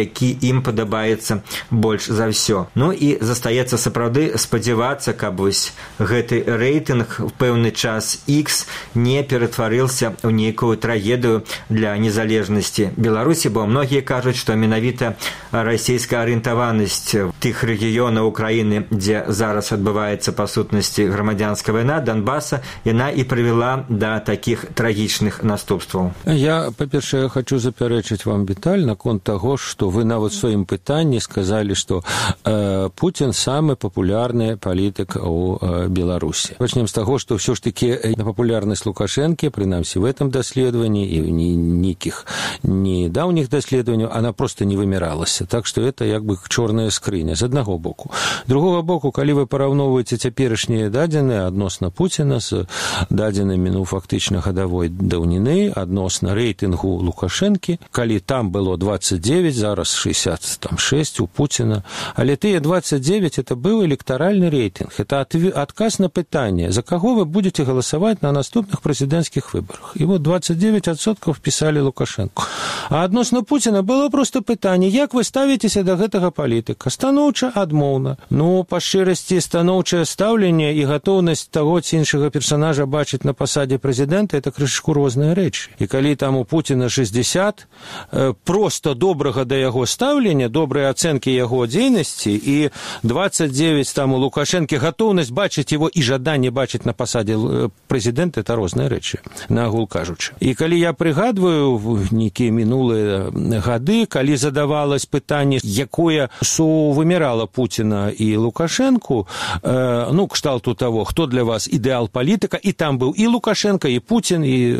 які ім падабаецца больш за ўсё. Ну і застаецца сапраўды спадзявацца, каб вось гэты рэйтынг в пэўны час X не ператварыўся ў нейкую трагедыю для незалежнасці Беларусі, бо многія кажуць, што менавіта расійская арыентаванасць тых рэгіёнаў Украіны, дзе зараз адбываецца па сутнасці грамадзянская вайна, Донбаса, яна і прывяла да такіх трагічных наступстваў. Я, па-першае, хочу запярэчыць вам, Віталь, наконт таго, што вы нават у сваім пытанні сказалі, што Путін самы папулярны палітык у Беларусі. Пачнем з таго, што ўсё ж такі папулярнасць Лукашэнкі, прынамсі в этом даследаванні і нейкіх недаўніх даследаванняў, она просто не выміралася. Так што это як бы чорная скрыня з аднаго боку. Другога боку, калі вы параўноўваеце цяперашнія дадзеныя адносна Пуціна з дадзенымі, фактычна гадавой даўніны, адносна рэйтынгу Лукашэнкі, калі там было 29, зараз 66 у Пуціна, але тыя 29 это быў электаральны рэйтынг. Это адказ на пытанне, за каго вы будете галасаваць на наступных прэзідэнцкіх выбарах. І вот 29% впісалі Лукашэнку. А адносна Пуціна было просто пытанне, як вы ставіцеся да гэтага палітыка? Станоўча, адмоўна. Па шчырасці, станоўчае стаўленне і гатоўнасць таго ці іншага персанажа бачыць на пасадзе прэзідэнта, это крышку розныя рэчы. І калі там у Пуціна 60, просто добрага да яго стаўлення, добрыя ацэнкі яго дзейнасці, і 29 там у Лукашэнкі гатоўнасць бачыць его і жаданне бачыць на пасадзе прэзідэнта, это розныя рэчы, наагул кажучы. І калі я прыгадваю нейкія мінулыя гады, калі задавалось пытанне, якое сувымірала Пуціна і Лукашэнку, кшталту таго, хто для вас ідэал палітыка, і там быў і Лукашенко, і Путін, і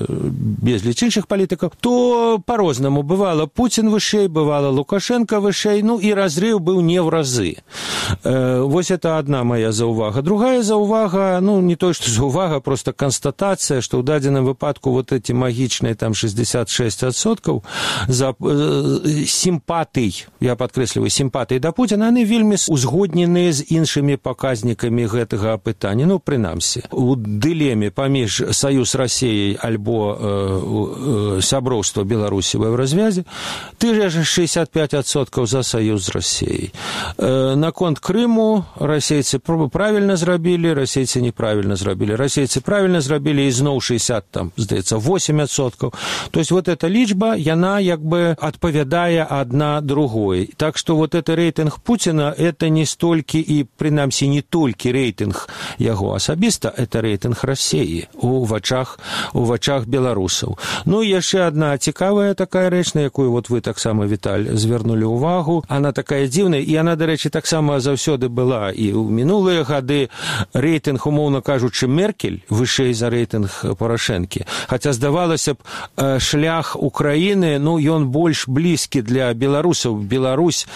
безліч іншых палітыкаў, то по-рознаму. Бывала Путін вышэй, бывала Лукашенко вышэй, і разрыў быў не в разы. Вось это одна моя заўвага. Другая заўвага, не то, што заўвага, просто констатацыя, што ў дадзеным выпадку вот эти магічныя там 66% за сімпатый, я падкрэсліваю, сімпатый да Путіна, яны вельмі узгодненыя з іншымі паказнікамі гэтага пытання. Прынамсі, у дылеме паміж Саюз Расіяй альбо сяброўства Беларусі в Еўразвязе, ты же 65% за Саюз з Расіяй. Наконт Крыму расейцы правільна зрабілі, расейцы неправільна зрабілі. Расейцы правільна зрабілі, і зноў 8%. То есть вот эта лічба, яна як бы адпавядае адна другой. Так что вот это рейтинг Путина, это не столькі і, прынамсі, не толькі рейтинг яго асабіста, это рейтинг Расіі у вачах беларусаў. Яшчэ одна цікавая такая рэч, на якую вот вы таксама, Віталь, звярнулі ўвагу. Она такая дзіўная, і она, дарэчы, таксама заўсёды была і ў мінулыя гады. Рейтинг, умоўна кажучы, Меркель вышэй за рейтинг Парашэнкі. Хаця, здавалася б, шлях Украіны, ён больш блізкі для беларусаў. Беларусь,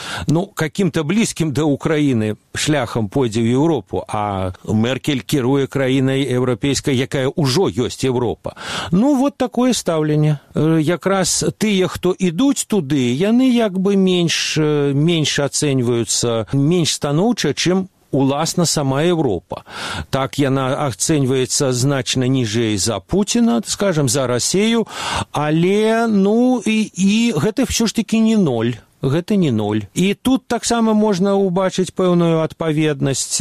каким-то блізкім да Украіны шляхам пойдзе ў Еўропу, а Меркель кіруе краінай еўрапейскай, якая ўжо ёсць Еўропа. Вот такое стаўленне. Якраз тыя, хто ідуць туды, яны як бы менш ацэньваюцца, менш станоўча, чым уласна сама Еўропа. Так яна ацэньваецца значна ніжэй за Пуціна, скажем, за Расію, але, і гэта ўсё ж такі не ноль. Гэта не ноль. І тут таксама можна ўбачыць пэўную адпаведнасць.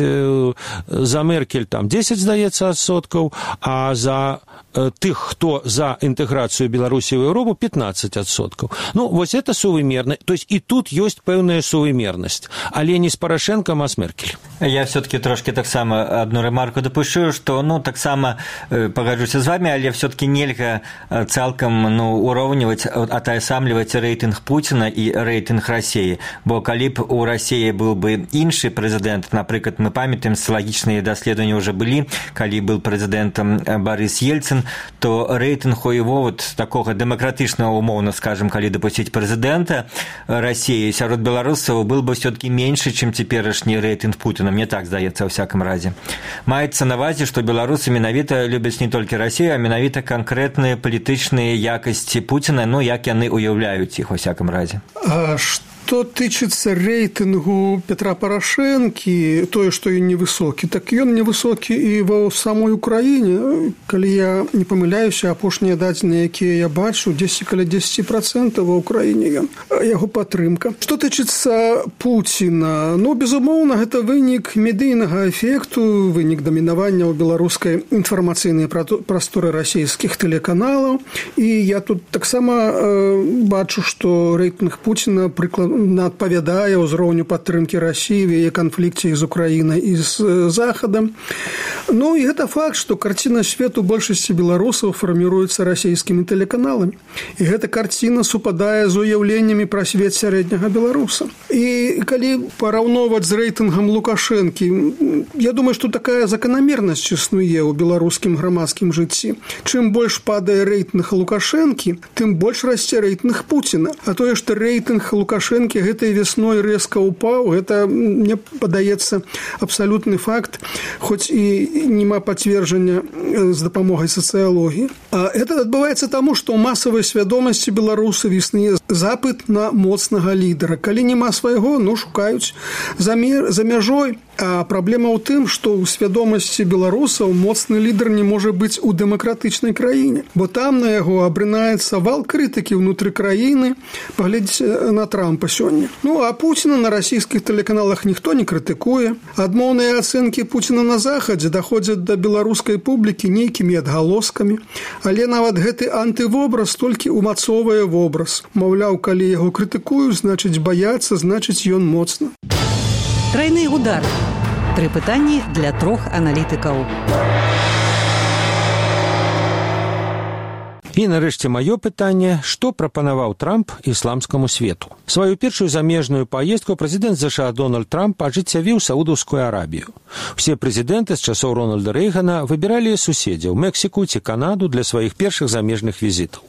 За Меркель там 10, здаецца, адсоткаў, а за тых, хто за інтэграцыю Беларусі ў Еўропу, 15%. Вось это сувымерна. То есть і тут ёсць пэўная сувымернасць, але не з Парашэнкам, а з Меркель. Я все-таки трошки таксама одну ремарку допущу, что, таксама пагаджуся з вами, але все-таки нельга цалкам, ураўніваць, атаясамліваць рэйтынг Пуціна і рэйтынг Расіі. Бо калі б у Расіі быў бы іншы прэзідэнт, напрыклад, мы памятаем, социалагічныя даследаванні ўжо былі, калі быў прэзідэнтам Борис Ельцин, то рэйтынг у его такога дэмакратычнага, умоўна скажем, калі дапусціць прэзідэнта Расіі сярод беларусаў, был бы все-таки меньше, чым цяперашні рэйтынг Путіна. Мне так здаецца, ў всяком разе. Маецца на увазе, што беларусы менавіта любяць не толькі Расію, а менавіта канкрэтныя палітычныя якасці Пуціна, як яны уяўляюць іх, у всяком разе. Што тычыцца рэйтынгу Петра Парашэнкі, тое, што ён невысокі, так ён невысокі і ва самой Украіне. Калі я не памыляюся, апошнія дадзеныя, якія я бачу, каля 10% ва Украіне ён, яго падтрымка. Што тычыцца Пуціна, безумоўна, гэта вынік медыйнага эфекту, вынік дамінавання ў беларускай інфармацыйнай прасторы расійскіх тэлеканалаў. І я тут таксама бачу, што рэйтынг Пуціна прыкладна адпавядае ўзроўню падтрымкі Расіі в яе канфлікце з Украінай і з Захадам. І гэта факт, што карціна свету большасці беларусаў фарміруецца расійскімі тэлеканаламі. І гэта карціна супадае з уяўленнямі пра свет сярэдняга беларуса. І калі параўноўваць з рэйтынгам Лукашэнкі, я думаю, што такая заканамернасць існуе ў беларускім грамадскім жыцці. Чым больш падае рэйтынг Лукашэнкі, тым больш расце рэйтынг Пуціна. А тое, што рэйтынг Лукашэнкі гэтай весной рэзка ўпаў, гэта, мне падаецца, абсалютны факт, хоць і нема пацверджання з дапамогай сацыялогіі. Это адбываецца таму, што ў масавай свядомасці беларусаў існуе запыт на моцнага лідара. Калі няма свайго, шукаюць за мяжой. А праблема ў тым, што ў свядомасці беларусаў моцны лідар не можа быць у дэмакратычнай краіне, бо там на яго абрынаецца вал крытыкі ўнутры краіны. Паглядзіце на Трампа сёння. А Пуціна на расійскіх тэлеканалах ніхто не крытыкуе. Адмоўныя ацэнкі Пуціна на Захадзе даходзяць да беларускай публікі нейкімі адгалоскамі, але нават гэты антывобраз толькі умацоўвае вобраз. Маўляў, калі яго крытыкуюць, значыць баяцца, значыць ён моцны. Тройны удар. 3 пытанні для 3 аналітыкаў. І нарэшце маё пытанне, што прапанаваў Трамп ісламскаму свету. Сваю першую замежную паездку прэзідэнт ЗША Дональд Трамп ажыццявіў Саудаўскую Арабію. Усе прэзідэнты з часоў Рональда Рэйгана выбіралі суседзяў Мексіку ці Канаду для сваіх першых замежных візітаў.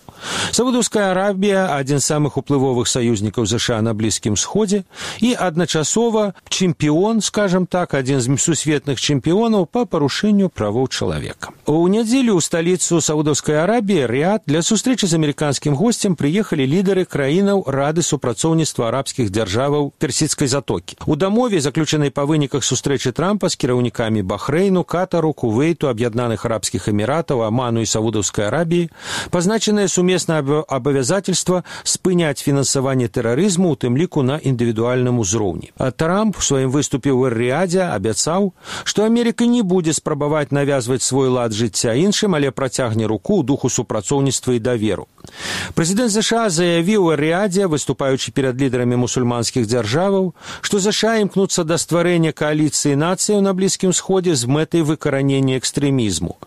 Саудаўская Арабія – адзін з самых уплывовых саюзнікаў ЗША на Блізкім Сходзе і адначасова чэмпіён, скажам так, адзін з сусветных чэмпіёнаў па парушэнню правоў чалавека. У нядзелю ў сталіцу Саудаўскай Арабіі, Рыяд, для сустрэчы з амерыканскім госцем прыехалі лідары краінаў Рады супрацоўніцтва арабскіх дзяржаваў Персідскай затокі. У дамове, заключанай па выніках сустрэчы Трампа з кіраўнікамі Бахрэйну, Катару, Кувейту, Аб'яднаных Арабскіх Эміратаў, Аману і Саудаўскай Арабіі, пазначаныя сумеснае абавязательства спыняць фінансаванне тэрарызму, у тым ліку на індывідуальным узроўні. Трамп у сваім выступе ў Эр-Рыядзе абяцаў, што Амерыка не будзе спрабаваць навязваць свой лад жыцця іншым, але працягне руку ў духу супрацоўніцтва і даверу. Прэзідэнт ЗША заявіў у Эр-Рыядзе, выступаючы перад лідарамі мусульманскіх дзяржаваў, што ЗША імкнуцца да стварэння кааліцыі нацыяў на Блізкім Сходзе з мэтай выкаранення экстрэмізму.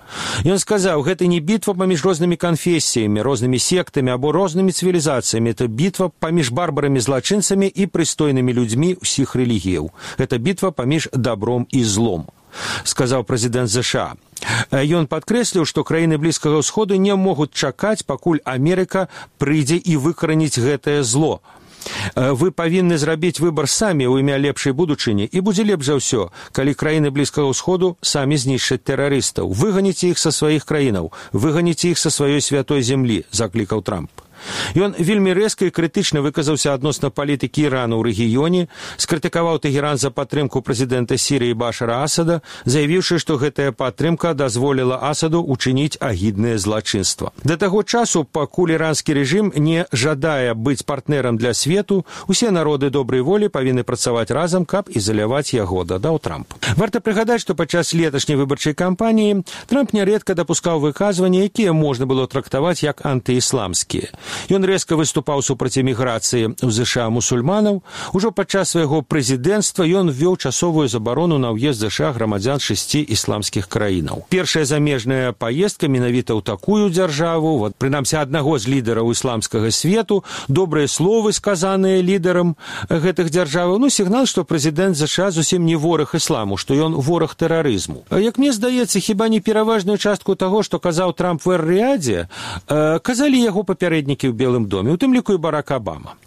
Ён сказаў, гэта не бітва паміж рознымі канфесіямі, рознымі сектамі або рознымі цывілізацыямі. Это бітва паміж барбарамі-злачынцамі і прыстойнымі людзьмі ўсіх рэлігіяў. Гэта бітва паміж добром і злом, сказаў прэзідэнт ЗША. Ён падкрэсліў, што краіны Блізкага ўсходу не могуць чакаць, пакуль Амерыка прыйдзе і выкараніць гэтае зло. Вы павінны зрабіць выбар самі ў імя лепшай будучыні, і будзе лепш за ўсё, калі краіны Блізкага ўсходу самі знішчаць тэрарыстаў. Выганіце іх са сваіх краінаў, выганіце іх са сваёй святой зямлі, заклікаў Трамп. Ён вельмі рэзка і крытычна выказаўся адносна палітыкі Ірану ў рэгіёне, скрытыкаваў Тэгеран за падтрымку прэзідэнта Сірыі Башара Асада, заявіўшы, што гэтая падтрымка дазволіла Асаду учыніць агіднае злачынства. Да таго часу, пакуль іранскі рэжым не жадае быць партнерам для свету, усе народы добрай волі павінны працаваць разам, каб ізаляваць яго, дадаў Трамп. Варта прыгадаць, што падчас леташняй выбарчай кампаніі Трамп нярэдка дапускаў выказванні, якія можна было трактаваць як антыісламскія. Ён рэзка выступаў супраць эміграцыі ў ЗША мусульманаў. Ужо падчас свайго прэзідэнцтва ён ввёў часовую забарону на ўезд ЗША грамадзян 6 ісламскіх краінаў. Першая замежная паездка менавіта ў такую дзяржаву, прынамсі аднаго з лідараў ісламскага свету, добрыя словы, сказаныя лідарам гэтых дзяржаваў, сігнал, што прэзідэнт ЗША зусім не вораг ісламу, што ён вораг тэрарызму. Як мне здаецца, хіба не пераважную частку таго, што казаў Трамп у Эр-Рыядзе, казалі яго папярэднікі ў Белым доме, у тым ліку і Барак Абама.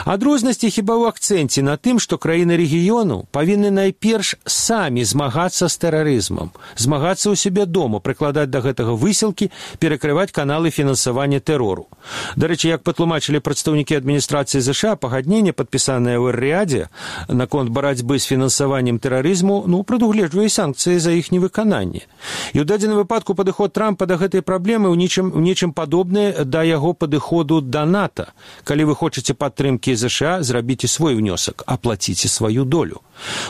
Адрознасці хіба ў акцэнце на тым, што краіны рэгіёну павінны найперш самі змагацца з тэрарызмам, змагацца ў сябе дома, прыкладаць да гэтага высілкі, перакрываць каналы фінансавання тэрору. Дарэчы, як патлумачылі прадстаўнікі адміністрацыі ЗША, пагадненне, падпісанае ў Эр-Рыядзе наконт барацьбы з фінансаваннем тэрарызму, прадугледжвае санкцыі за іх невыкананне. І ў дадзеным выпадку падыход Трампа да гэтай праблемы ў нечым падобны да яго падыходу да НАТО. Калі вы хочаце падтрымкі ЗША, зрабіце свой внёсак, аплаціце сваю долю.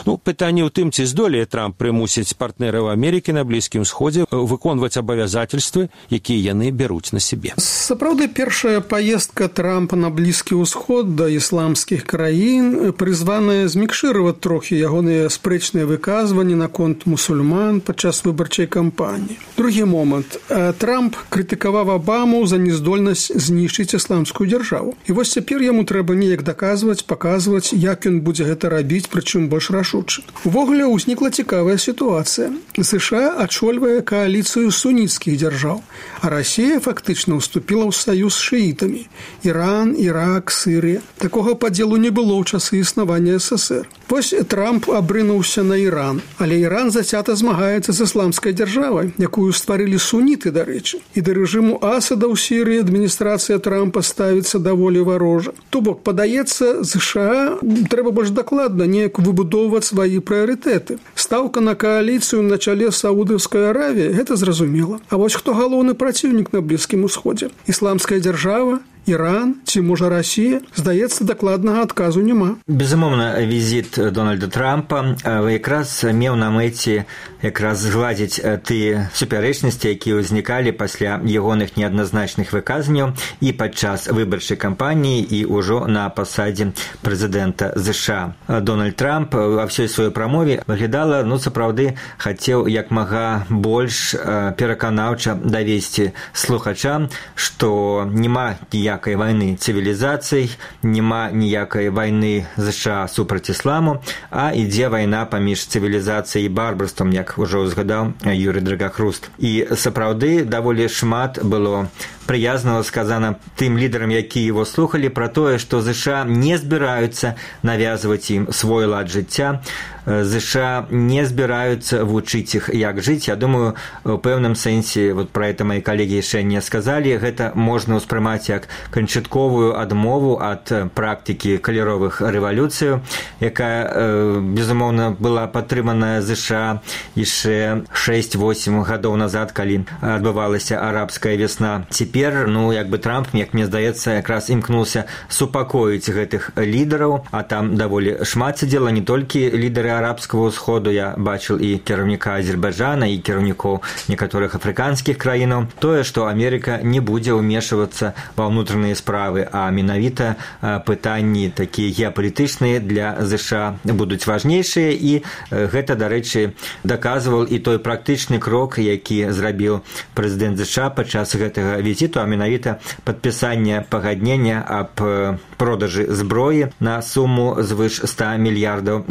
Пытанне ў тым, ці здолее Трамп прымусіць партнераў Амерыкі на Блізкім Сходзе выконваць абавязательствы, якія яны бяруць на сябе. Сапраўды, першая паездка Трампа на Блізкі ўсход да ісламскіх краін прызваная змікшыраваць трохі ягоныя спрэчныя выказванні наконт мусульман падчас выбарчай кампаніі. Другі момант. Трамп крытыкаваў Абаму за нездольнасць знішчыць ісламскую дзяржаву. І вось цяпер яму трэба неяк даказваць, паказваць, як ён будзе гэта рабіць, прычым больш рашуча. Увогуле ўзнікла цікавая сітуацыя. США ачольвае кааліцыю суніцкіх дзяржаў, а Расія фактычна ўступіла ў саюз з шыітамі. Іран, Ірак, Сырыя. Такога падзелу не было ў часы існавання СССР. Вось Трамп абрынуўся на Іран, але Іран зацята змагаецца з ісламскай дзяржавай, якую стварылі суніты, дарэчы. І да рэжыму Асада ў Сірыі адміністрацыя Трампа ставіцца даволі варожа. То бок, падаецца, ЗША трэба больш дакладна неяк выбудоўваць свае прыярытэты. Стаўка на кааліцыю на чале Саудаўскай Аравіі – гэта зразумела. А вось хто галоўны праціўнік на Блізкім Усходзе? Ісламская дзяржава? Іран ці, можа, Расія? Здаецца, дакладнага адказу няма. Безумоўна, візіт Дональда Трампа якраз меў на мэце згладзіць тыя супярэчнасці, якія ўзнікалі пасля ягоных неадназначных выказанняў і падчас выбарчай кампаніі і ўжо на пасадзе прэзідэнта ЗША. Дональд Трамп ва ўсёй сваёй прамове выглядала, сапраўды, хацеў як мага больш пераканаўча давесці слухачам, што няма ніякай вайны цывілізацый, няма ніякай вайны ЗША супраць ісламу, а ідзе вайна паміж цывілізацыяй і барбарствам, як ужо узгадаў Юрый Драгахруст. І сапраўды даволі шмат было прыязнага сказана тым лідарам, якія его слухалі, пра тое, што ЗША не збіраюцца навязваць ім свой лад жыцця, ЗША не збіраюцца вучыць іх, як жыць. Я думаю, у пэўным сэнсе, пра гэта мои калегі яшчэ не сказалі, гэта можна ўспрымаць як канчатковую адмову ад практыкі каляровых рэвалюцыяў, якая, безумоўна, была падтрыманая ЗША яшчэ 6-8 гадоў назад, калі адбывалася арабская весна. Цяпер, Трамп, як мне здаецца, якраз імкнуўся супакоіць гэтых лідараў, а там даволі шмат сядзела не толькі лідары арабскага ўсходу, я бачыў і кіраўніка Азербайджана, і кіраўнікоў некаторых афрыканскіх краінаў. Тое, што Амерыка не будзе ўмешвацца ва ўнутраныя справы, а менавіта пытанні такія геапалітычныя для ЗША будуць важнейшыя, і гэта, дарэчы, даказваў і той практычны крок, які зрабіў прэзідэнт ЗША падчас гэтага візіту, а менавіта падпісанне пагаднення аб продажы зброі на суму звыш $100 мільярдаў.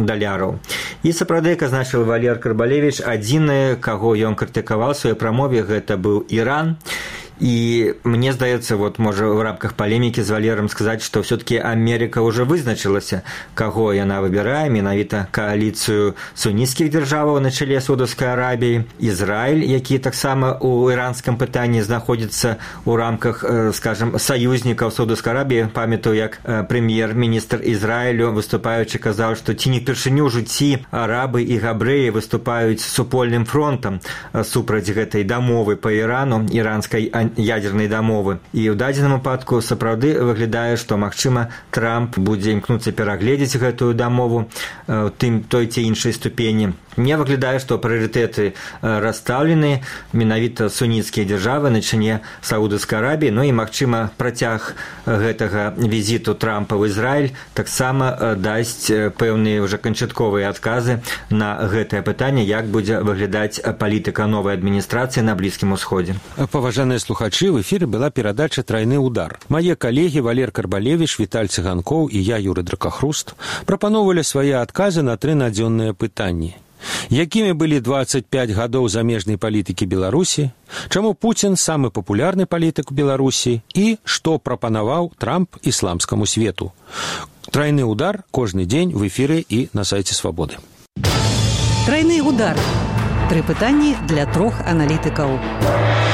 І сапраўды, як азначыў Валер Карбалевіч, адзіны, каго ён крытыкаваў у сваёй прамове, гэта быў Іран. І мне здаецца, можа в рамках палемікі з Валером сказаць, што все-таки Амерыка ўжо вызначылася, каго яна выбірае, менавіта кааліцыю суніцкіх дзяржаваў на чале Саудаўскай Арабіі, Ізраіль, які таксама ў іранскім пытанні знаходзіцца ў рамках, скажем, саюзнікаў Саудаўскай Арабіі. Памятаю, як прэм'ер-міністр Ізраілю, выступаючы, казаў, што ці не впершыню ў жыцці арабы і габрэі выступаюць супольным фронтам супраць гэтай дамовы па Ірану, іранскай ядзернай дамовы. І ў дадзеным выпадку сапраўды выглядае, што, магчыма, Трамп будзе імкнуцца перагледзець гэтую дамову той ці іншай ступені. Мне выглядае, што прыярытэты расстаўлены, менавіта суніцкія дзяржавы на чале Саудаўскай Арабіі, і, магчыма, працяг гэтага візіту Трампа ў Ізраіль таксама дасць пэўныя ўжо канчатковыя адказы на гэтае пытанне, як будзе выглядаць палітыка новай адміністрацыі на Блізкім Усходзе. Паважаныя слухачы, в эфіры была перадача «Трайны удар». Мае калегі Валер Карбалевіч, Віталь Цыганкоў і я, Юрый Драгахруст, прапаноўвалі свае адказы на 3 надзённыя пытанні. Якімі былі 25 гадоў замежнай палітыкі Беларусі, чаму Пуцін самы папулярны палітык у Беларусі і што прапанаваў Трамп ісламскаму свету. Тройны удар кожны дзень в эфіры і на сайце Свабоды. Тройны удар. 3 пытанні для 3 аналітыкаў.